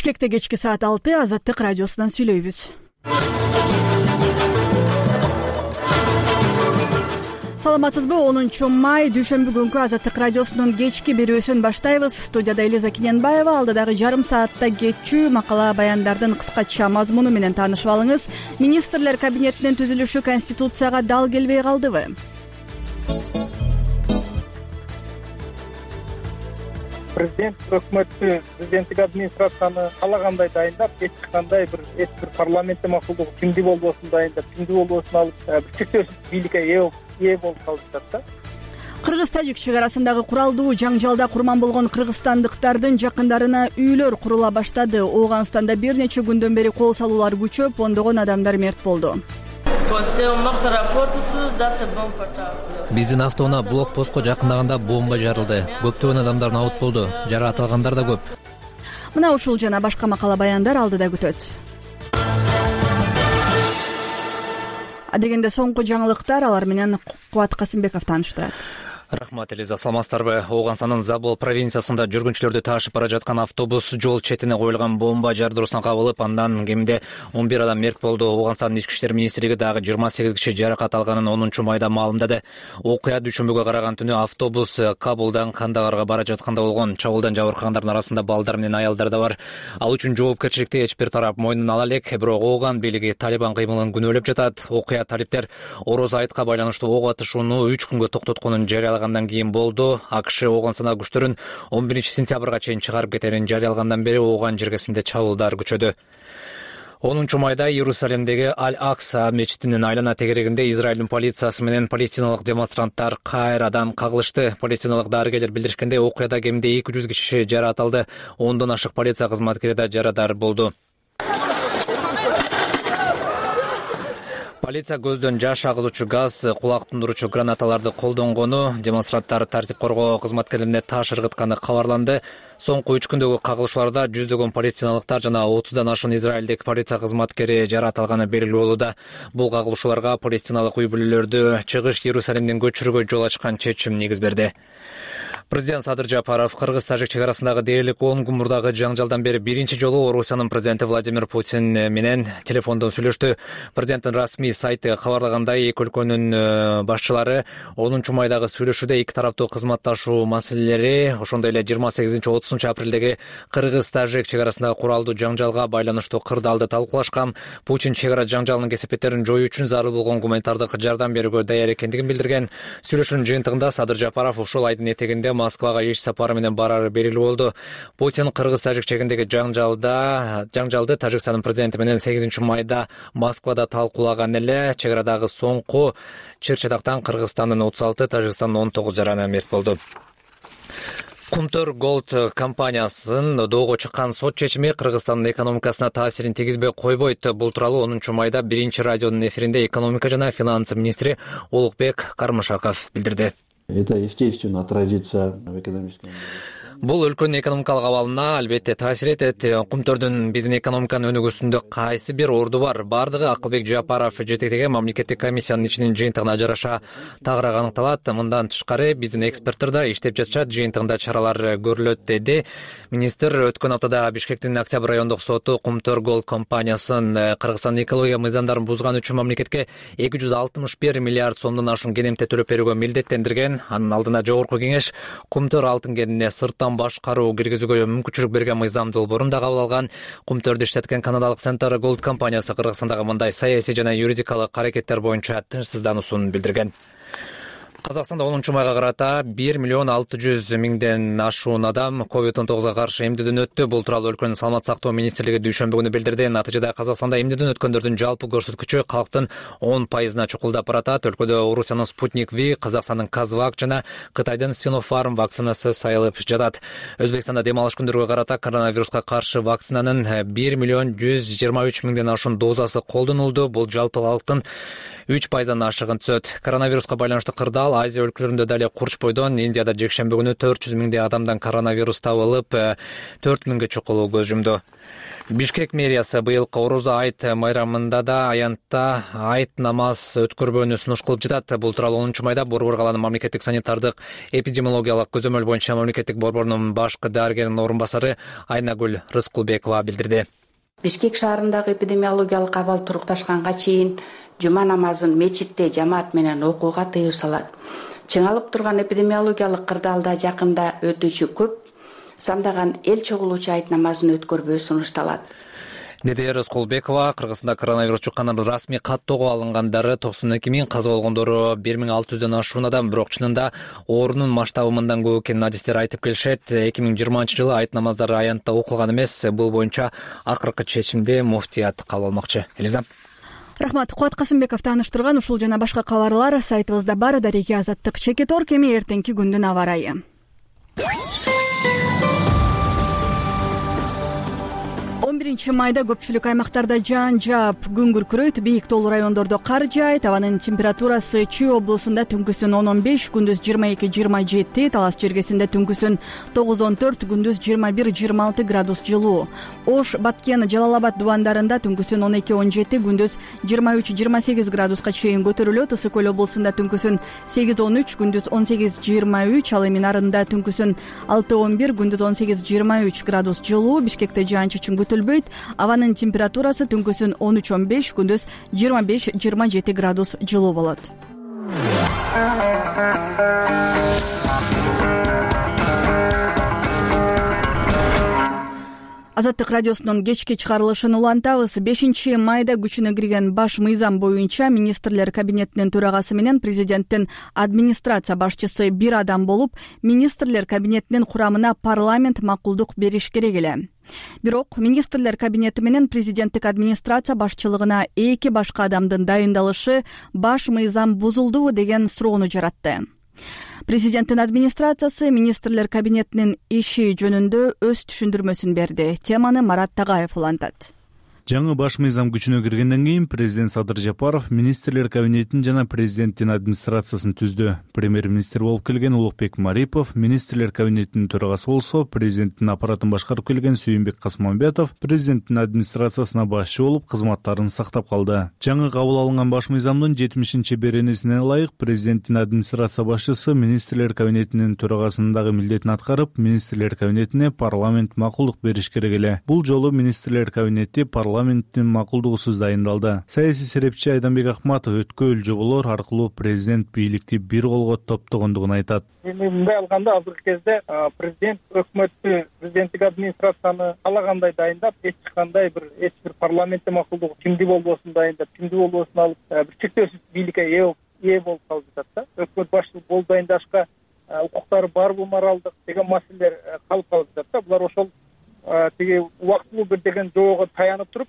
Бишкекте кечки саат 6 Азаттык радиосунан сүйлөйбүз. Саламатсызбы? 10-май дүйшөмбү күнкү Азаттык радиосунун кечки берүүсүн баштайбыз. Студияда Элиза Киненбаева. Алдыдагы жарым саатта кетчү макала баяндардын кыскача мазмуну менен таанышып алыңыз. Министрлер кабинетинин түзүлүшү Конституцияга дал келбей калдыбы? Президент өкмөттү, президенттик администрацияны каалагандай дайындап, эч кандай бир парламентте макулдугу тиңди болбосун дайындап, тиңди болбосун алып, бир чектөөсүз бийликке ээ болуп калышат да. Кыргыз-Тажик чек арасындагы куралдуу жаңжалда курман болгон кыргызстандыктардын жакындарына үйлөр курула баштады. Ооганстанда бир нече күндөн бери кол салуулар күчөп, ондогон адамдар мерт болду. Биздин автоунаа блокпостко жакындаганда бомба жарылды. Көптөгөн адамдар абут болду. Жаратылгандар да көп. Мына ушул жана башка макала баяндар алдыда күтөт. Адегенде соңку жаңылыктар, алар менен Кубат Касымбеков тааныштырат. Рахмат, Элиза, саламатсыздарбы? Ооганстандын Забыл провинциясында жүргүнчүлөрдү ташып бара жаткан автобус жол четине коюлган бомба жардыруусуна кабылып, андан кеминде 11 адам мерт болду. Ооганстандын ички иштер министрлиги дагы 28 киши жаракат алганын 10-майда маалымдады. Окуя дүйшөмбүгө караган түнү автобус Кабулдан Кандагарга бара жатканда болгон. Чабуулдан жабыркагандардын арасында балдар менен аялдар да бар. Ал үчүн жоопкерчиликти эч бир тарап мойнуна ала элек. Бирок Ооган бийлиги Талибан кыймылын күнөөлөп жатат. Окуя талиптер Ороз айтка байланыштуу ок атышууну 3 күнгө токтотконун жарыялагандан кийин болду. АКШ Ооганстан күчтөрүн 11-сентябрга чейин чыгарып кетерин жарыялагандан бери Ооган жергесинде чабуулдар күчөдү. 10-майда Иерусалимдеги Аль-Акса мечитинин айлана тегерегинде Израилдин полициясы менен палестиналык демонстранттар кайрадан кагылышты. Палестиналык дарыгерлер билдиришкендей, окуяда кеминде 200 киши жаракат алды. 10дон ашык полиция кызматкери да жарадар болду. Полиция көздөн жаш агызуучу газ, кулак тундуруучу гранаталарды колдонгону, демонстранттар тартип коргоо кызматкерлерине таш ыргытканы кабарланды. Соңку 3 күндөгү кагылышууларда жүздөгөн палестиналыктар жана 30дан ашуун Израилдик полиция кызматкери жаракат алганы белгилүү болууда. Бул кагылышууларга палестиналык үй бүлөлөрдү чыгыш Иерусалимден көчүрүүгө жол ачкан чечим негиз берди. Президент Садыр Жапаров Кыргыз-Тажик чек арасындагы дээрлик 10 күн мурдагы жаңжалдан бери биринчи жолу Орусиянын президенти Владимир Путин менен телефондон сүйлөштү. Президенттин расмий сайты кабарлагандай, эки өлкөнүн башчылары 10-майдагы сүйлөшүүдө эки тараптуу кызматташуу маселелери, ошондой эле 28-30 апрелдеги Кыргыз-Тажик чек арасындагы куралдуу жаңжалга байланыштуу кырдаалды талкуулашкан. Путин чек ара жаңжалынын кесепеттерин жоюу үчүн зарыл болгон гуманитардык жардам берүүгө даяр экендигин билдирген. Сүйлөшүүнүн жыйынтыгында Садыр Жапаров ушул айдын этегинде Москвага иш сапары менен барары белгилүү болду. Путин Кыргыз-Тажик чегиндеги жаңжалды Тажикстандын президенти менен 8-майда Москвада талкуулаган эле. Чек арадагы соңку чыр-чатактан Кыргызстандын 36, Тажикстандын 19 жараны мерт болду. Кумтөр Голд компаниясынын доого чыккан сот чечими Кыргызстандын экономикасына таасирин тийгизбей койбойт. Бул тууралуу 10-майда биринчи радионун эфиринде экономика жана финансы министри Улукбек Кармышаков билдирди. Это, естественно, отразится в экономическом... Бул өлкөнүн экономикалык абалына албетте таасир этет. Кумтөрдүн биздин экономиканын өнүгүүсүндө кайсы бир орду бар? Бардыгы Акылбек Жапаров жетектеген мамлекеттик комиссиянын ичинин жыйынтыгына жараша тагыраак аныкталат. Мындан тышкары биздин эксперттер да иштеп жатышат, жыйынтыгында чаралар көрүлөт, деди министр. Өткөн аптада Бишкектин Октябрь райондук соту Кумтөр Голд компаниясын Кыргызстандын экология мыйзамдарын бузганы үчүн мамлекетке 261 миллиард сомдон ашуун кенемте төлөп берүүгө милдеттендирген. Анын алдына жогорку кеңеш Кумтөр алтын кенине сырттан башкаруу киргизүүгө мүмкүнчүлүк берген мыйзам долбоорун да кабыл алган. Кумтөрдү иштеткен канадалык Center Gold компаниясы Кыргызстандагы мындай саясий жана юридикалык аракеттер боюнча тынчсыздануусун билдирген. Казакстанда 10-майга карата 1,600,000ден ашуун адам COVID-19 каршы эмдөөдөн өттү. Бул тууралуу өлкөнүн саламаттык сактоо министрлиги дүйшөмбү күнү билдирди. Натыйжада Казакстанда эмдөөдөн өткөндөрдүн жалпы көрсөткүчү калктын 10%-на чукулдап баратат. Өлкөдө Орусиянын Спутник V, Казакстандын Казвак жана Кытайдын Sinopharm вакцинасы сайылып жатат. Өзбекстанда дем алыш күндөргө карата коронавируска каршы вакцинанын 1,123,000ден ашуун дозасы колдонулду. Бул жалпы калктын 3%-дан ашыгын түзөт. Коронавируска байланыштуу кырдаал ал Азия өлкөлөрүндө дале курч бойдон Индияда жекшемби күнү 400 миңдей адамдан коронавирус табылып, 4 миңге чукулуу көз жумду. Бишкек мэриясы быйылкы Орозо айт майрамында да аянтта айт намаз өткөрбөөнү сунуш кылып жатат. Бул тууралуу 10 майда Борбор калаанын мамлекеттик санитардык эпидемиологиялык көзөмөл боюнча мамлекеттик борборунун башкы дарыгеринин орун басары Айнагүл Рыскылбекова билдирди. Бишкек шаарындагы эпидемиологиялык абал турукташканга чейин жума намазын мечитте жамаат менен окууга тыюу салат. Чыңалып турган эпидемиологиялык кырдаалда жакында өтүүчү көп сандаган эл чогулуучу айт намазын өткөрбөө сунушталат. Деди Рыскылбекова, Кыргызстанда коронавирус жукканын расмий каттоого алынгандары 92 миң, каза болгондору 1600дөн ашуун адам, бирок чынында оорунун масштабы мындан көп экенин адистер айтып келишет. 2020-жылы айт намаздары аянтта окулган эмес. Бул боюнча акыркы чечимди муфтият кабыл алмакчы. Элиза. Рахмат. Кубат Касымбеков тааныштырган ушул жана башка кабарлар сайтыбызда бар. Дареги Азаттык Чекитор кеми эртеңки күндүн аба ырайы. 11 майда көпчүлүк аймактарда жаан жаап, күн күркүрөйт, бийик тоолуу райондордо кар жаайт. Абанын температурасы Чүй облусунда түнкүсүн 10-15, күндүз 22-27, Талас чергесинде түнкүсүн 9-14, күндүз 21-26 градус жылуу. Ош, Баткен, Жалал-Абад дубандарында түнкүсүн 12-17, күндүз 23-28 градуска чейин көтөрүлөт. Ысык Көл облусунда түнкүсүн 8-13, күндүз 18-23, ал эми нарында түнкүсүн 6-11, күндүз 18-23 градус жылуу. Бишкекте жаан-чачын күтүлбөйт. Абанын температурасы түнкүсүн 13-15, күндүз 25-27 градус жылуу болот. Азаттык радиосунун кечки чыгарылышын улантабыз. 5 майда күчүнө кирген баш мыйзам боюнча министрлер кабинетинин төрагасы менен президенттин администрация башчысы бир адам болуп, министрлер кабинетинин курамына парламент макулдук бериш керек эле. Бирок министрлер кабинети менен президенттик администрация башчылыгына эки башка адамдын дайындалышы баш мыйзам бузулдубу деген суроону жаратты. Президенттин администрациясы министрлер кабинетинин иши жөнүндө өз түшүндүрмөсүн берди. Теманы Марат Тагаев улантат. Жаңы баш мыйзам күчүнө киргенден кийин президент Садыр Жапаров министрлер кабинетин жана президенттин администрациясын түздү. Премьер-министр болуп келген Улукбек Марипов министрлер кабинетинин төрагасы болсо, президенттин аппаратын башкарып келген Сүйүнбек Касмамбетов президенттин администрациясына башчы болуп кызматтарын сактап калды. Жаңы кабыл алынган баш мыйзамдын 70-беренесине ылайык президенттин администрация башчысы министрлер кабинетинин төрагасындагы милдетин аткарып, министрлер кабинетине парламент макулдук бериш керек эле. Бул жолу министрлер кабинети парламенттин макулдугусуз дайындалды. Саясий серепчи Айданбек Акматов өткөл жоболор аркылуу президент бийликти бир колго топтогондугун айтат. Эми мындай алганда азыркы кезде президент өкмөттү, президенттик администрацияны каалагандай дайындап, эч бир парламентте макулдугу кимди болбосун дайындап, кимди болбосун алып, бир чектөөсүз бийликке ээ болуп калып жатат да. Өкмөт башчылык болуп дайындашка укуктары барбы, моралдык деген маселелер калып жатат да. Булар ошол тиги убактылуу бир деген жоого таянып туруп,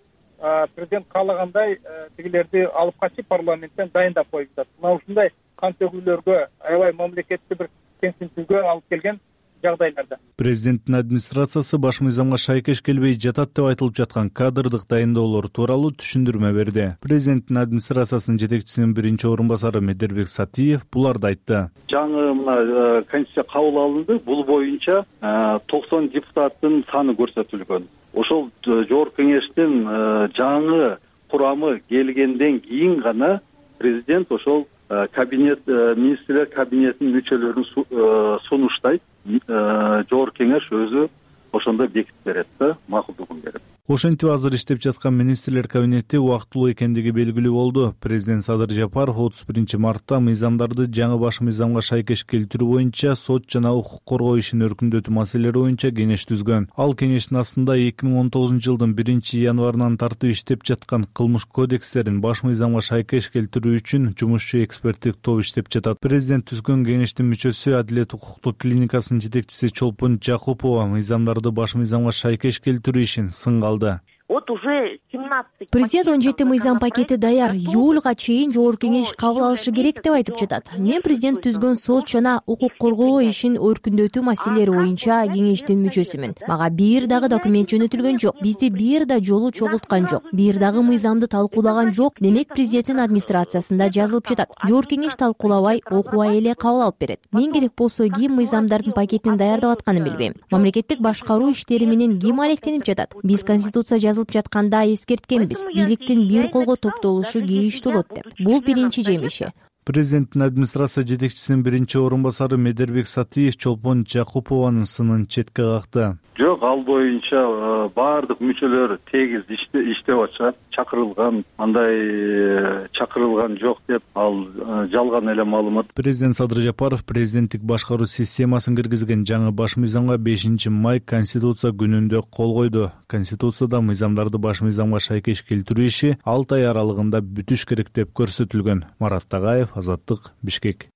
президент каалагандай тигилерди алып качып парламенттен дайындап коюп жатат. Мына ушундай кан төгүүлөргө, аябай мамлекетти бир теңсиздикке алып келген жагдайларда президенттин администрациясы баш мыйзамга шайкеш келбей жатат деп айтылып жаткан кадрдык дайындоолор тууралуу түшүндүрмө берди. Президенттин администрациясынын жетекчисинин биринчи орун басары Медербек Сатиев буларды айтты. Жаңы мына конституция кабыл алынды. Бул боюнча 90 депутаттын саны көрсөтүлгөн. Ошол жогорку кеңештин жаңы курамы келгенден кийин гана президент ошол министрлер кабинетинин мүчөлөрүн сунуштайт. Жогорку кеңеш өзү ошондо бекитип берет да, макулдугун берет. Ошентип азыр иштеп жаткан министрлер кабинети убактылуу экендиги белгилүү болду. Президент Садыр Жапаров 31 мартта мыйзамдарды жаңы баш мыйзамга шайкеш келтирүү боюнча сот жана укук коргоо ишин өркүндөтүү маселелери боюнча кеңеш түзгөн. Ал кеңештин астында 2019 жылдын 1 январынан тартып иштеп жаткан кылмыш кодекстерин баш мыйзамга шайкеш келтирүү үчүн жумушчу эксперттик топ иштеп жатат. Президент түзгөн кеңештин мүчөсү Адилет укуктук клиникасынын жетекчиси Чолпон Жакупова мыйзамдарды баш мыйзамга шайкеш келтирүү ишин сынга алды. Вот уже 17. Президент 17 мыйзам пакети даяр, июлга чейин жогорку кеңеш кабыл алышы керек деп айтып жатат. Мен президент түзгөн сот жана укук коргоо ишин өркүндөтүү маселелери боюнча кеңештин мүчөсүмүн. Мага бир дагы документ жөнөтүлгөн жок. Бизди бир да жолу чогулткан жок. Бир дагы мыйзамды талкуулаган жок. Демек президенттин администрациясында жазылып жатат. Жогорку кеңеш талкуулабай, окубай эле кабыл алып берет. Мен керек болсо ким мыйзамдардын пакетин даярдап атканын билбейм. Мамлекеттик башкаруу иштери менен ким алектенип жатат? Биз конституция жазылып жатканда эскерткенбиз. Бийликтин бир колго топтолушу кейиштүү болот деп. Бул биринчи жемиши. Президенттин администрация жетекчисинин биринчи орун басары Медербек Сатиев Чолпон Жакупованын сынын четке какты. Жок, ал боюнча баардык мүчөлөр тегиз иштеп атышат. Чакырылган, андай чакырылган жок деп ал жалган эле маалымат. Президент Садыр Жапаров президенттик башкаруу системасын киргизген жаңы баш мыйзамга 5 май Конституция күнүндө кол койду. Конституцияда мыйзамдарды баш мыйзамга шайкеш келтирүү иши 6 ай аралыгында бүтүш керек деп көрсөтүлгөн. Марат Тагаев, Азаттык, Бишкек.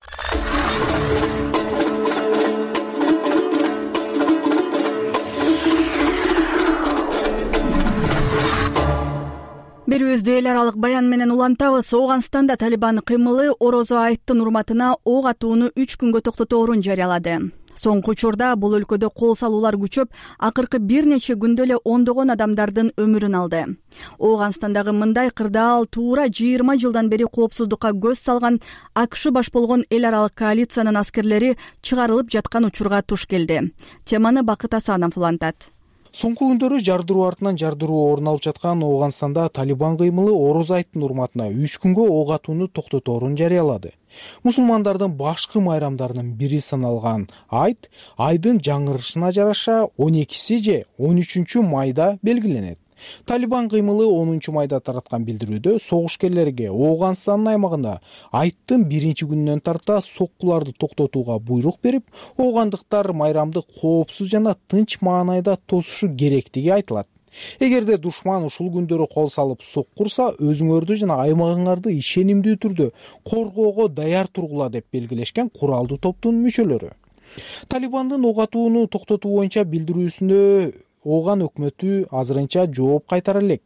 Берүүбүздү эл аралык баян менен улантабыз. Ооганстанда Талибан кыймылы Орозо айттын урматына ок атууну 3 күнгө токтоторун жарыялады. Соңку учурда бул өлкөдө кол салуулар күчөп, акыркы бир нече күндө эле ондогон адамдардын өмүрүн алды. Ооганстандагы мындай кырдаал туура 20 жылдан бери коопсуздукка көз салган АКШ баш болгон эл аралык коалициянын аскерлери чыгарылып жаткан учурга туш келди. Теманы Бакыт Асанов улантат. Соңку күндөрү жардыруу артынан жардыруу орун алып жаткан Ооганстанда Талибан кыймылы Орозо айттын урматына 3 күнгө ок атууну токтоторун жарыялады. Мусулмандардын башкы майрамдарынын бири саналган айт айдын жаңырышына жараша 12 же 13 майда белгиленет. Талибан кыймылы 10 майда тараткан билдирүүдө согушкерлерге Ооганстандын аймагында айттын биринчи күнүнөн тарта соккуларды токтотууга буйрук берип, оогандыктар майрамды коопсуз жана тынч маанайда тосушу керектиги айтылат. Эгерде душман ушул күндөрү кол салып соккурса, өзүңөрдү жана аймагыңарды ишенимдүү түрдө коргоого даяр тургула деп белгилешкен куралдуу топтун мүчөлөрү. Талибандын ок атууну токтотуу боюнча билдирүүсүнө Ооган өкмөтү азырынча жооп кайтара элек.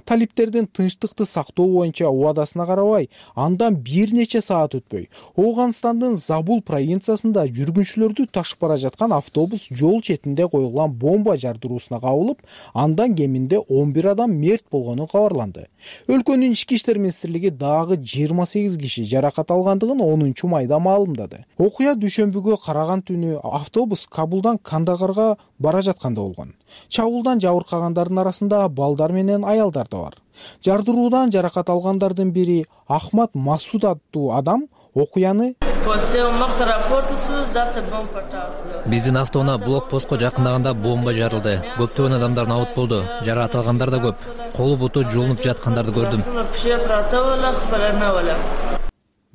Талиптердин тынчтыкты сактоо боюнча убадасына карабай, андан бир нече саат өтпөй, Ооганстандын Забул провинциясында жүргүнчүлөрдү ташып бара жаткан автобус жол четинде коюлган бомба жардыруусуна кабылып, андан кеминде 11 адам мерт болгону кабарланды. Өлкөнүн ички иштер министрлиги дагы 28 киши жаракат алгандыгын 10 майда маалымдады. Окуя дүйшөмбүгө караган түнү автобус Кабулдан Кандагарга бара жатканда болгон. Чабуулдан жабыркагандардын арасында балдар менен аялдар да бар. Жардыруудан жаракат алгандардын бири Ахмат Масуд аттуу адам окуяны Биздин автоунаа блокпостко жакындаганда бомба жарылды. Көптөгөн адамдар набыт болду. Жаракат алгандар да көп. Колу буту жулунуп жаткандарды көрдүм.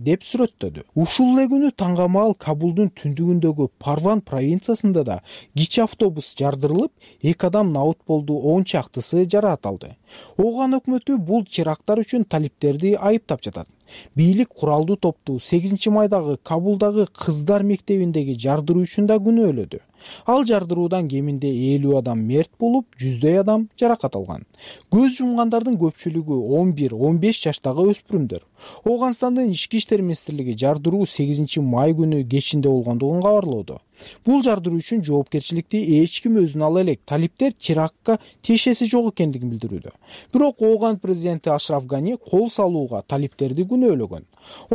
деп сүрөттөдү. Ушул эле күнү таңгамаал Кабулдун түндүгүндөгү Парван провинциясында да кичи автобус жардырылып, 2 адам набыт болду, 10 чактысы жаракат алды. Ооган өкмөтү бул теракттар үчүн талиптерди айыптап жатат. Бийлик куралдуу топту 8 майдагы Кабулдагы кыздар мектебиндеги жардыруу үчүн да күнөөлөдү. Ал жардыруудан кеминде 50 адам мерт болуп, 100 адам жаракат алган. Көз жумгандардын көпчүлүгү 11-15 жаштагы өспүрүмдөр. Ооганстандын ички иштер министрлиги жардыруу 8 май күнү кечинде болгондугун кабарлоодо. Бул жардыруу үчүн жоопкерчиликти эч ким өзүнө ала элек. Талиптер терактка тиешеси жок экендигин билдирүүдө. Бирок Ооган президенти Ашраф Гани кол салууга талиптерди күнөөлөгөн.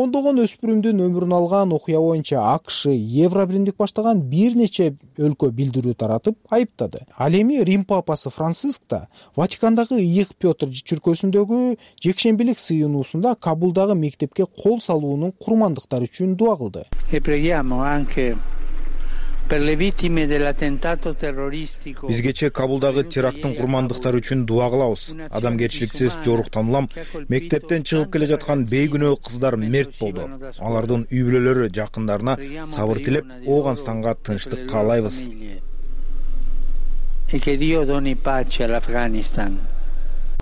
Ондогон өспүрүмдүн өмүрүн алган окуя боюнча АКШ, Евробиримдик баштаган бир нече өлкө билдирүү таратып айыптады. Ал эми Рим папасы Франциск да Ватикандагы Ыйык Петр жекшембилик сыйынуусунда Кабулдагы мектепке кол салуунун курмандыктары үчүн дуа кылды. Биз кечээ Кабулдагы теракттын курмандыктары үчүн дуа кылабыз. Адамгерчиликсиз жоруктанулам мектептен чыгып келе жаткан бейкүнөө кыздар мерт болду. Алардын үй бүлөлөрү жакындарына сабыр тилеп, Ооганстанга тынчтык каалайбыз.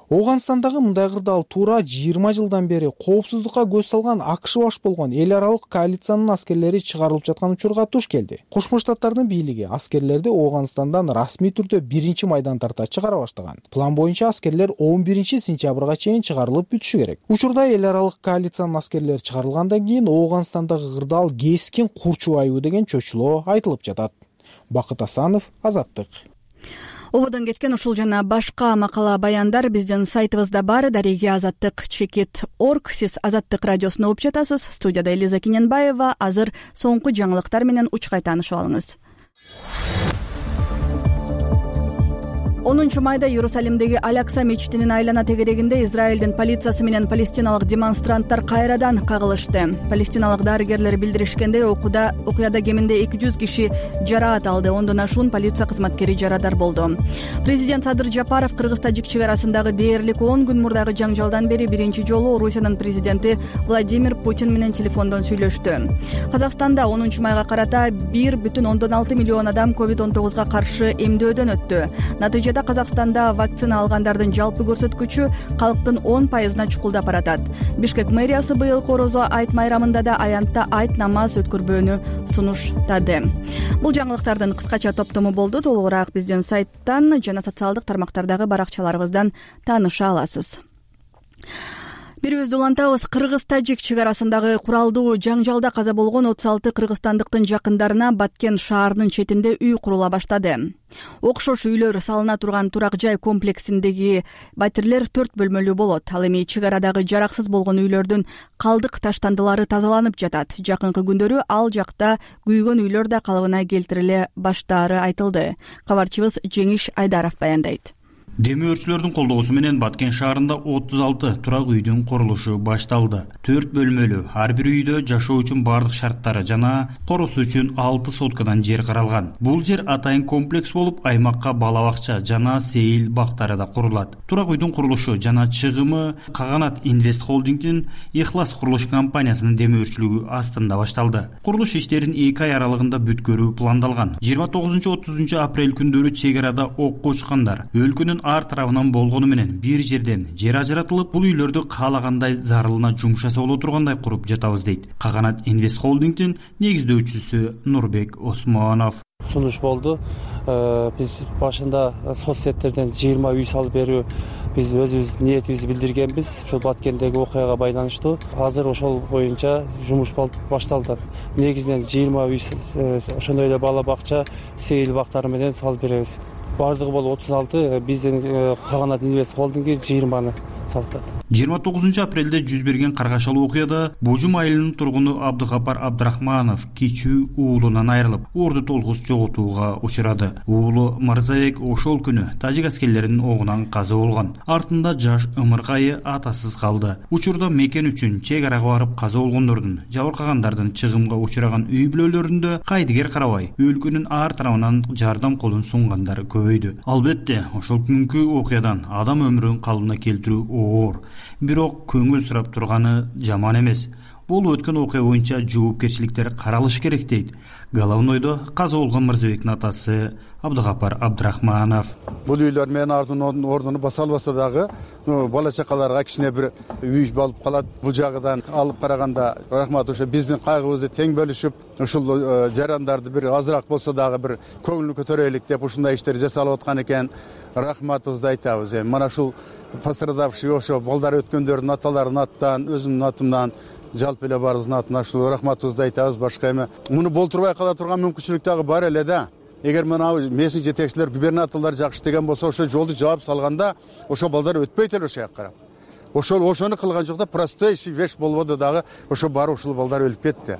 Ооганстандагы мындай кырдаал туура 20 жылдан бери коопсуздукка көз салган АКШ баш болгон эл аралык коалициянын аскерлери чыгарылып жаткан учурга туш келди. Кошмо Штаттардын бийлиги аскерлерди Ооганстандан расмий түрдө 1-майдан тарта чыгара баштаган. План боюнча аскерлер 11-сентябрга чейин чыгарылып бүтүшү керек. Учурда эл аралык коалициянын аскерлери чыгарылгандан кийин Ооганстандагы кырдаал кескин курчубайбы деген чөчүлөө айтылып жатат. Бакыт Асанов, Азаттык. Ободон кеткен ушул жана башка макала баяндар биздин сайтыбызда бар. Дареги Азаттык.org. Сиз Азаттык радиосуна угуп жатасыз. Студияда Элиза Киненбаева. Азыр соңку жаңылыктар менен учкай таанышып алыңыз. 10 майда Иерусалимдеги Алякса мечитинин айлана тегерегинде Израилдин полициясы менен палестиналык демонстранттар кайрадан кагылышты. Палестиналык дарыгерлер билдиришкендей, окуяда кеминде 200 киши жараат алды. Ондон ашуун полиция кызматкери жарадар болду. Президент Садыр Жапаров Кыргыз-Тажик чек арасындагы дээрлик 10 күн мурдагы жаңжалдан бери биринчи жолу Орусиянын президенти Владимир Путин менен телефондон сүйлөштү. Казакстанда 10 майга карата 1,6 миллион адам COVID-19 каршы эмдөөдөн өттү. Натыйжада Казакстанда вакцина алгандардын жалпы көрсөткүчү калктын 10%-на чукулдап баратат. Бишкек мэриясы быйыл Корозо айт майрамында да аянтта айт намаз өткөрбөөнү сунуштады. Бул жаңылыктардын кыскача топтому болду. Толугураак биздин сайттан жана социалдык тармактардагы баракчаларыбыздан тааныша аласыз. Бирибизди улантабыз. Кыргыз-Тажик чек арасындагы куралдуу жаңжалда каза болгон 36 кыргызстандыктын жакындарына Баткен шаарынын четинде үй курула баштады. Окшош үйлөр салына турган турак жай комплексиндеги батирлер 4 бөлмөлүү болот. Ал эми чек арадагы жараксыз болгон үйлөрдүн калдык таштандылары тазаланып жатат. Жакынкы күндөрү ал жакта күйгөн үйлөр да калыбына келтириле баштаары айтылды. Кабарчыбыз Жеңиш Айдаров баяндайт. Демөөрчүлөрдүн колдоосу менен Баткен шаарында 36 турак үйдүн курулушу башталды. 4 бөлмөлүү, ар бир үйдө жашоо үчүн бардык шарттары жана коросу үчүн 6 соткадан жер каралган. Бул жер атайын комплекс болуп, аймакка бала бакча жана сейил бактары да курулат. Турак үйдүн курулушу жана чыгымы Каганат Инвест холдингдин Ихлас курулуш компаниясынын демөөрчүлүгү астында башталды. Курулуш иштерин 2 ай аралыгында бүткөрүү пландалган. 29-30 апрель күндөрү чек арада окко учкандар өлкөнүн ар тарабынан болгону менен бир жерден жер ажыратылып, бул үйлөрдү каалагандай зарылына жумшаса боло тургандай куруп жатабыз дейт Каганат Инвест холдингдин негиздөөчүсү Нурбек Осмонов. Сунуш болду. Биз башында соцсеттерден 20 үй салып берүү биз өзүбүз ниетибизди билдиргенбиз. Ошол Баткендеги окуяга байланыштуу. Азыр ошол боюнча жумуш башталды. Негизинен 20 үй, ошондой эле бала бакча, сейил бактары менен салып беребиз. Бардыгы болуп 36, биздин Каганат Инвест холдинги 20-ны салып. 29 апрелде жүз берген каргашалуу окуяда Бужум айылынын тургуну Абдыгапар Абдрахманов кичүү уулунан айрылып, орду толгус жоготууга учурады. Уулу Мырзабек ошол күнү тажик аскерлеринин огунан каза болгон. Артында жаш ымыркайы атасыз калды. Учурда мекен үчүн чек арага барып каза болгондордун, жабыркагандардын чыгымга учураган үй бүлөлөрүндө кайдыгер карабай, өлкөнүн ар тарабынан жардам колун сунгандар көбөйдү. Албетте, ошол күнкү окуядан адам өмүрүн калыбына келтирүү оор. Бирок көңүл сурап турганы жаман эмес. Бул өткөн окуя боюнча жоопкерчиликтер каралыш керек дейт Головнойдо каза болгон Мырзабектин атасы Абдыгапар Абдрахманов. Бул үйлөр менен ордуну баса албаса дагы бала чакаларга кичине бир үй болуп калат. Бул жагыдан алып караганда рахмат, ошо биздин кайгыбызды тең бөлүшүп, ушул жарандарды бир азыраак болсо дагы бир көңүлүн көтөрөйлүк деп ушундай иштерди жасалып аткан экен. Рахматыбызды айтабыз. Мына ушул пострадавший ошо балдар өткөндөрдүн аталарынын аттан, өзүмдүн атымдан, жалпы эле баарыбыздын атынан ушул рахматыбызды айтабыз. Башка эме муну болтурбай кала турган мүмкүнчүлүк дагы бар эле да. Эгер мына месин жетекчилер, губернаторлор жакшы деген болсо, ошо жолду жаап салганда ошо балдар өтпөйт эле ошо жака карап. Ошону кылган жокта простой вещь болбоду дагы, ошо барып ушул балдар өлүп кетти.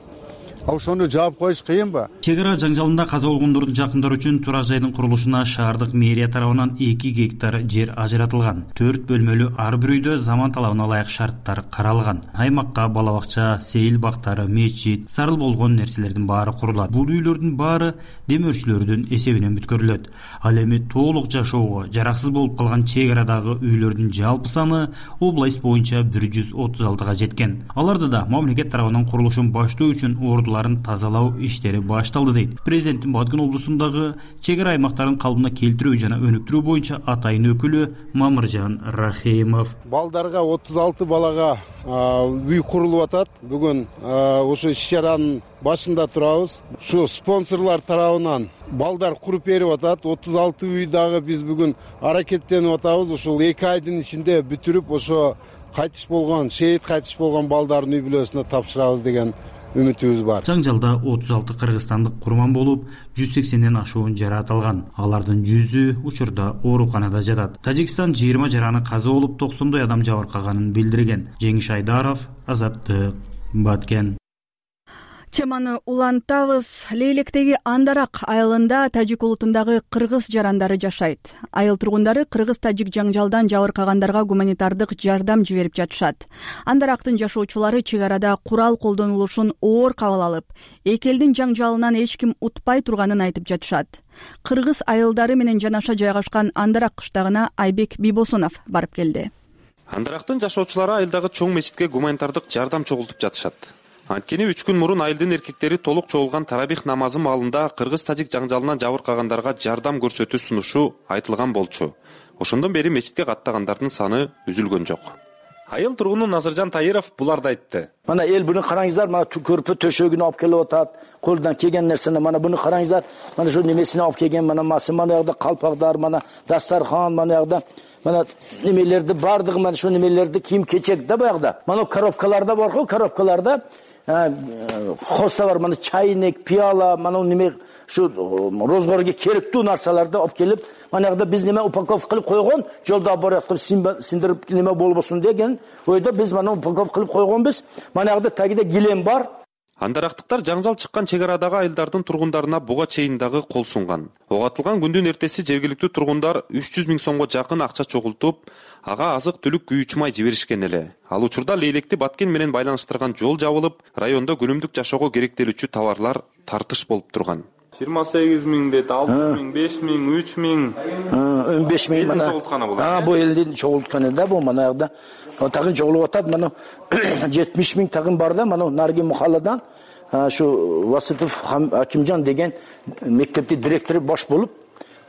Ошону жаап коюш кыйынбы? Чек ара жаңжалында каза болгондордун жакындары үчүн турак жайдын курулушуна шаардык мэрия тарабынан 2 гектар жер ажыратылган. 4 бөлмөлүү ар бир үйдө заман талабына ылайык шарттар каралган. Аймакка бала бакча, сейил бактары, мечит, зарыл болгон нерселердин баары курулат. Бул үйлөрдүн баары демөөрчүлөрдүн эсебинен бүткөрүлөт. Ал эми толук жашоого жараксыз болуп калган чек арадагы үйлөрдүн жалпы саны область боюнча 136га жеткен. Аларды да мамлекет тарабынан курулушун баштоо үчүн ордулар жолдоруларын тазалоо иштери башталды дейт. Президенттин Баткен облусундагы чек ара аймактарын калыбына келтирүү жана өнүктүрүү боюнча атайын өкүлү Мамыржан Рахимов. Балдарга 36 балага үй курулуп атат. Бүгүн ушу иш-чаранын башында турабыз. Ушу спонсорлор тарабынан балдар куруп берип атат. 36 үй дагы биз бүгүн аракеттенип атабыз. Ушул 2 айдын ичинде бүтүрүп, ошо кайтыш болгон, шейит кайтыш болгон балдардын үй бүлөсүнө тапшырабыз деген үмүтүбүз бар. Жаңжалда 36 кыргызстандык курман болуп, 180ден ашуун жараат алган. Алардын 100ү учурда ооруканада жатат. Тажикстан 20 жараны каза болуп, 90 адам жабыркаганын билдирген. Жеңиш Айдаров, Азаттык, Баткен. Теманы улантабыз. Лейлектеги Андарак айылында тажик улутундагы кыргыз жарандары жашайт. Айыл тургундары кыргыз-тажик жаңжалдан жабыркагандарга гуманитардык жардам жиберип жатышат. Андарактын жашоочулары чек арада курал колдонулушун оор кабыл алып, эки элдин жаңжалынан эч ким утпай турганын айтып жатышат. Кыргыз айылдары менен жанаша жайгашкан Андарак кыштагына Айбек Бибосунов барып келди. Андарактын жашоочулары айылдагы чоң мечитке гуманитардык жардам чогултуп жатышат. Анткени 3 күн мурун айылдын эркектери толук чогулган тарабих намазы маалында кыргыз-тажик жаңжалынан жабыркагандарга жардам көрсөтүү сунушу айтылган болчу. Ошондон бери мечитке каттагандардын саны үзүлгөн жок. Айыл тургуну Назыржан Тайыров буларды айтты. Мана эл буну караңыздар, мана көрпө төшөгүн алып келип атат. Колдон келген нерсени мана буну караңыздар. Мана ошо немесини алып келген, мана ягда калпактар, мана дастархан, мана ягда мана немелерди бардыгы, мана ошо немелерди кийим-кечек да баягда. Мана коробкаларда бар-го, коробкаларда хоста бар, мана чайник, пиала, мана неме şu rozgorga керектүү нарсаларды алып келип, манагыда биз неме упаковка кылып койгон, жолда бараткан синдирип неме болбосун деген ойдо биз мана упаковка кылып койгонбуз. Манагыда тагида гилем бар. Андарактыктар жаңжал чыккан чек арадагы айылдардын тургундарына буга чейин дагы кол сунган. Ого атылган күндүн эртеси жергиликтүү тургундар 300 000 сомго жакын акча чогултуп, ага азык-түлүк күйүүчү май жиберишкен эле. Ал учурда Лейлекти Баткен менен байланыштырган жол жабылып, райондо күнүмдүк жашоого керектелүүчү товарлар тартыш болуп турган. 28 000 дейт, 6 000, 5 000, 3 000. 15 000 мана. Бу элдин чогултканы да бу манагыда. Тагын чогулуп атат, мана 70 000 тагын бар да, мана Нарги Мухалладан şu Vasitov Акимжан деген мектептин директору баш болуп,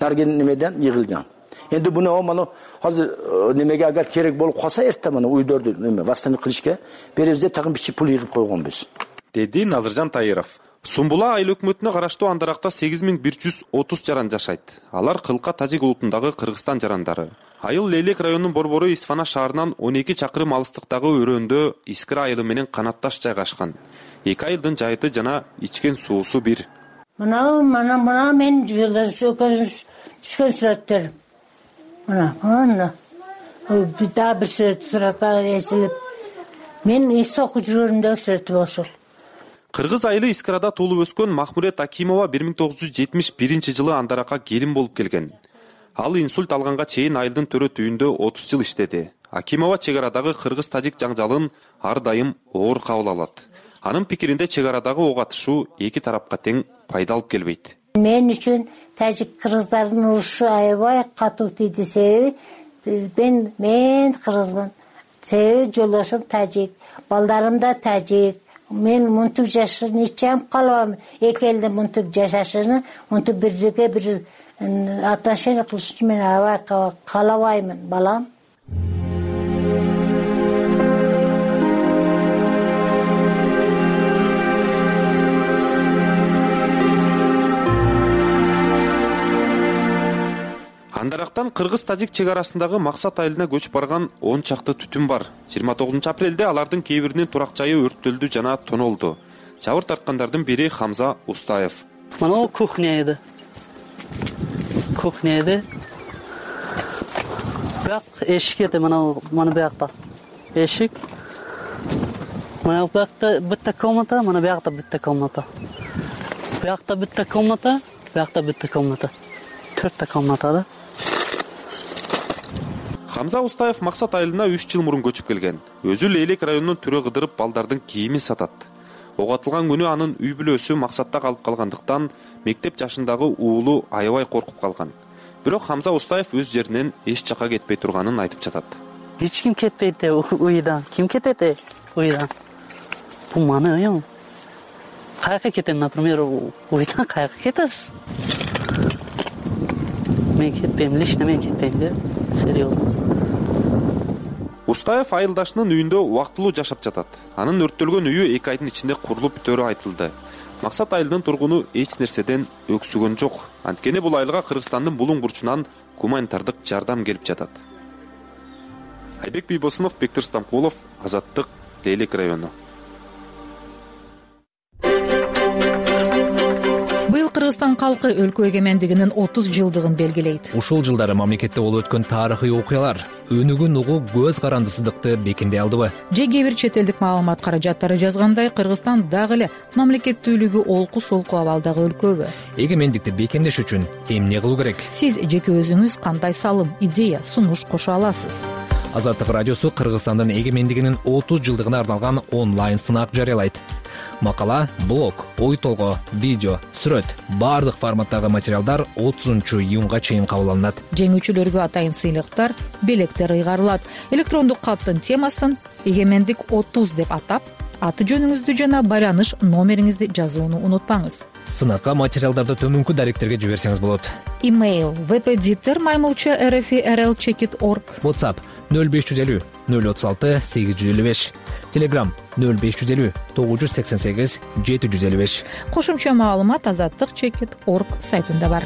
Нарген немеден йыгылган. Endi bunu mana hazır немеге agar керек болуп калса эртте мана уйдорду неме вастаник кылышка беребизде тагын бичи пул йыгып койгонбуз. Деди Назыржан Тайыров. Сумбула айыл өкмөтүнө караштуу Андаракта 8130 жаран жашайт. Алар Кылка Тажик улутундагы Кыргызстан жарандары. Айыл Лейлек районунун борбору Исфана шаарынан 12 чакырым алыстыктагы өрөөндө Искира айылы менен канатташ жайгашкан. Эки айылдын жайыты жана ичкен суусу бир. Мына мен жолдош түшкөн сүрөттөр. Мына да бир сүрөт сурата эсилип мен эс окуп жүргөндөгү сүрөтү ошол. Кыргыз айылы Искирада туулуп өскөн Махмурет Акимова 1971 жылы Андаракка келин болуп келген. Ал инсульт алганга чейин айылдын төрөт үйүндө 30 жыл иштеди. Акимова чек арадагы кыргыз-тажик жаңжалын ар дайым оор кабыл алат. Анын пикиринде чек арадагы ок атышуу эки тарапка тең пайда алып келбейт. Мен үчүн тажик-кыргыздардын урушу аябай катуу тийди. Себеби мен кыргызмын. Себеби жолдошум тажик, балдарым да тажик. Мен мынтип жашашын ичем калабам. Эки элдин мынтип жашашыны, мынтип бирге бир отношение кылышын мен аябай каалабаймын, балам. Андарактан кыргыз-тажик чек арасындагы Максат айылына көчүп барган 10 чакты түтүн бар. 29 апрелде алардын кээ биринин турак жайы өрттөлдү жана тонолду. Жабыр тарткандардын бири Хамза Устаев. Мына кухня эди. Кухня эди. Бак эшик эди, мына бакта. Эшик. Мына бакта битта комната, мына бакта битта комната. Бакта битта комната, бакта битта комната. 4 комната да. Хамза Устаев Максат айылына 3 жыл мурун көчүп келген. Өзү Лейлек районунун түрө кыдырып балдардын кийимин сатат. Ок атылган күнү анын үй бүлөсү Максатта калып калгандыктан мектеп жашындагы уулу аябай коркуп калган. Бирок Хамза Устаев өз жеринен эч жакка кетпей турганын айтып жатат. Эч ким кетпейт уйдан. Ким кетет уйдан? Бул маны уйум. Каяка кетем, например, уйдан каяка кетесиз? Мен кетпейм, лично мен кетпейм да, серьезно. Устаев айылдашынын үйүндө убактылуу жашап жатат. Анын өрттөлгөн үйү 2 айдын ичинде курулуп бүтөрү айтылды. Максат айылдын тургуну эч нерседен өксүгөн жок. Анткени бул айылга Кыргызстандын булуң бурчунан гуманитардык жардам келип жатат. Айбек Бийбосунов, Бектир Стамкулов, Азаттык, Лейлек району. Быйыл Кыргызстан калкы өлкө эгемендигинин 30 жылдыгын белгилейт. Ушул жылдары мамлекетте болуп өткөн тарыхый окуялар өнүгүн угуу көз карандысыздыкты бекемдей алдыбы? Же кээ бир чет элдик маалымат каражаттары жазгандай, Кыргызстан дагы эле мамлекеттүүлүгү олку-солку абалдагы өлкөбү? Эгемендикти бекемдеш үчүн эмне кылуу керек? Сиз жеке өзүңүз кандай салым, идея, сунуш кошо аласыз? Азаттык радиосу Кыргызстандын эгемендигинин 30 жылдыгына арналган онлайн сынак жарыялайт. Макала, блог, ой толгоо, видео, сүрөт, баардык форматтагы материалдар 30-июнга чейин кабыл алынат. Жеңүүчүлөргө атайын сыйлыктар, белектер ыйгарылат. Электрондук каттын темасын эгемендик 30 деп атап, аты жөнүңүздү жана байланыш номериңизди жазууну унутпаңыз. Сынакка материалдарды төмөнкү даректерге жиберсеңиз болот. Имейл vpditter@rl.org. WhatsApp 0550 036 855. Telegram 0550 988 755. Кошумча маалымат azattik.org сайтында бар.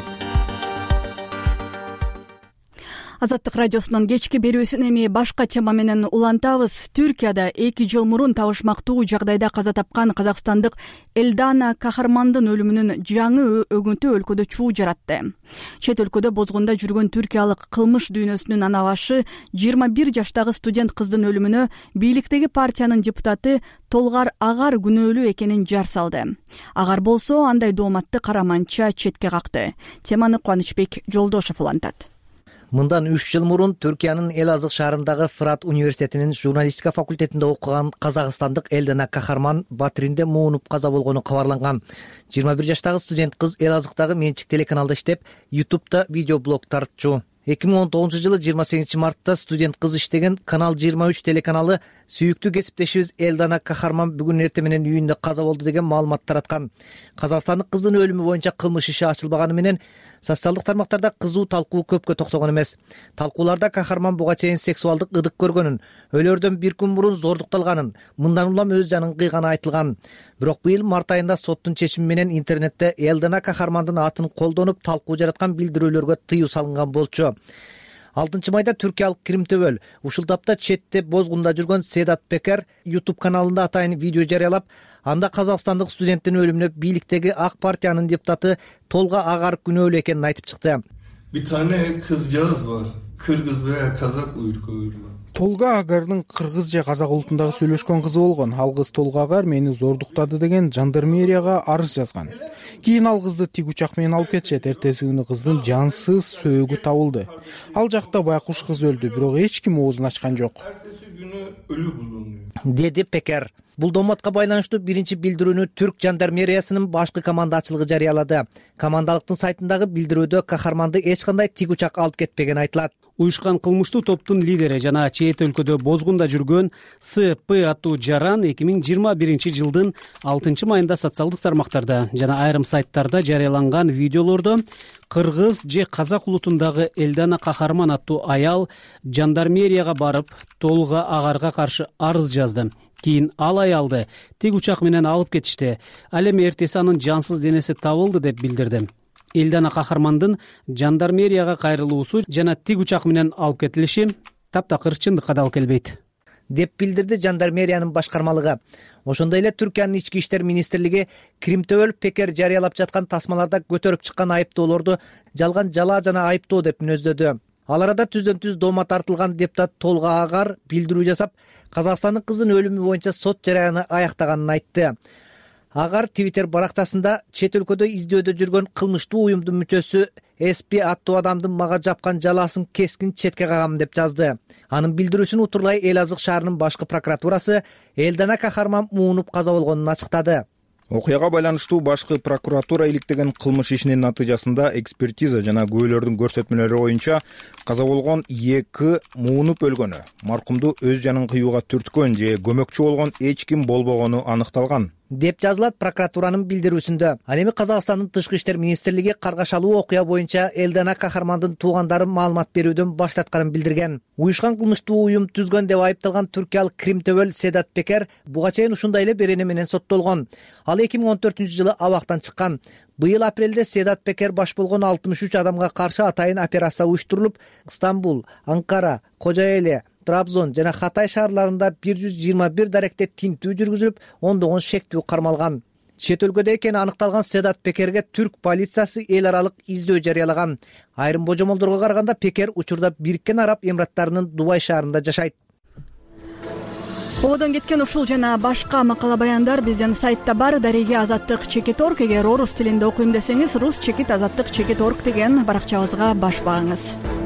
Азаттык радиосунун кечки берүүсүн эми башка тема менен улантабыз. Түркияда 2 жыл мурун табышмактуу жагдайда каза тапкан казакстандык Элдана Кахармандын өлүмүнүн жаңы өгүнтү өлкөдө чуу жаратты. Чет өлкөдө бозгунда жүргөн түркиялык кылмыш дүйнөсүнүн ана башы 21 жаштагы студент кыздын өлүмүнө бийликтеги партиянын депутаты Толгар Агар күнөөлүү экенин жар салды. Агар болсо андай дооматты караманча четке какты. Теманы Кубанычбек Жолдошов улантат. Мындан 3 жыл мурун Түркиянын Элазык шаарындагы Фырат университетинин журналистика факультетинде окуган казакстандык Элдана Кахарман Батиринде муунуп каза болгону кабарланган. 21 жаштагы студент кыз Элазыктагы менчик телеканалда иштеп, YouTube'да видеоблог тартчу. 2019-жылы 28 мартта студент кыз иштеген Канал 23 телеканалы сүйүктүү кесиптешибиз Элдана Кахарман бүгүн эртең менен үйүндө каза болду деген маалымат тараткан. Казакстандык кыздын өлүмү боюнча кылмыш иши ачылбаганы менен социалдык тармактарда кызуу талкуу көпкө токтогон эмес. Талкууларда Кахарман буга чейин сексуалдык ыдык көргөнүн, өлөрдөн бир күн мурун зордукталганын, мындан улам өз жанын кыйганы айтылган. Бирок быйыл март айында соттун чечими менен интернетте Элдана Кахармандын атын колдонуп талкуу жараткан билдирүүлөргө тыюу салынган болчу. 6 майда түркиялык Кримтөбөл ушул тапта четте бозгунда жүргөн Седат Пекер YouTube каналында атайын видео жарыялап, анда казакстандык студенттин өлүмүнө бийликтеги ак партиянын депутаты Толга Агар күнөөлүү экенин айтып чыкты. Bir tane kızcağız var. Kırgız veya Kazak uyruklu. Толга Агардын кыргыз же казак улутундагы сүйлөшкөн кызы болгон. Ал кыз Толга Агар мени зордуктады деген жандармерияга арыз жазган. Кийин ал кызды тик учак менен алып кетишет. Эртеси күнү кыздын жансыз сөөгү табылды. Ал жакта байкуш кыз өлдү, бирок эч ким оозун ачкан жок. Деди Пекер. Бул дооматка байланыштуу биринчи билдирүүнү Түрк жандармериясынын башкы командачылыгы жарыялады. Командалыктын сайтындагы билдирүүдө Кахарманды эч кандай тик учак алып кетпеген айтылат. Уюшкан кылмыштуу топтун лидери жана чет өлкөдө бозгунда жүргөн СП аттуу жаран 2021-жылдын 6 майында социалдык тармактарда жана айрым сайттарда жарыяланган видеолордо кыргыз же казак улутундагы Элдана Кахарман аттуу аял жандармерияга барып Толга Агарга каршы арыз жазды. Кийин ал аялды тик учак менен алып кетишти. Ал эми эртеси анын жансыз денеси табылды деп билдирди. Элдана Кахармандын жандармерияга кайрылуусу жана тик учак менен алып кетилиши таптакыр чындыкка дал келбейт деп билдирди жандармериянын башкармалыгы. Ошондой эле Түркиянын ички иштер министрлиги Кримтөбөл Пекер жарыялап жаткан тасмаларда көтөрүп чыккан айыптоолорду жалган жалаа жана айыптоо деп мүнөздөдү. Ал арада түздөн түз доомат тартылган депутат Толга Агар билдирүү жасап, казакстандык кыздын өлүмү боюнча сот жараяны аяктаганын айтты. Агар Twitter барактасында чет өлкөдө издөөдө жүргөн кылмыштуу уюмдун мүчөсү СП аттуу адамдын мага жапкан жалаасын кескин четке кагам деп жазды. Анын билдирүүсүн утурлай Элазык шаарынын башкы прокуратурасы Элдана Кахарман муунуп каза болгонун ачыктады. Окуяга байланыштуу башкы прокуратура иликтеген кылмыш ишинин натыйжасында экспертиза жана күбөлөрдүн көрсөтмөлөрү боюнча каза болгон 2 муунуп өлгөнү, маркумду өз жанын кыюуга түрткөн же көмөкчү болгон эч ким болбогону аныкталган. деп жазылат прокуратуранын билдирүүсүндө. Ал эми Казакстандын Тышкы иштер министрлиги каргашалуу окуя боюнча Элдана Кахармандын туугандары маалымат берүүдөн баш тартканын билдирген. Уюшкан кылмыштуу уюм түзгөн деп айыпталган түркиялык Крим төбөл Седат Пекер буга чейин ушундай эле берене менен соттолгон. Ал 2014-жылы абактан чыккан. Быйыл апрелде Седат Пекер баш болгон 63 адамга каршы атайын операция уюштурулуп, Стамбул, Анкара, Кожоэле, Трабзон жана Хатай шаарларында 121 даректе тинтүү жүргүзүлүп, ондогон шектүү кармалган. Чет өлкөдө экени аныкталган Седат Пекерге түрк полициясы эл аралык издөө жарыялаган. Айрым божомолдорго караганда Пекер учурда Бириккен Араб Эмираттарынын Дубай шаарында жашайт. Ободон кеткен ушул жана башка макала баяндар биздин сайтта бар. Дареги Азаттык.org. Эгер орус тилинде окуйм десеңиз, rus.azattik.org деген баракчабызга баш багыңыз.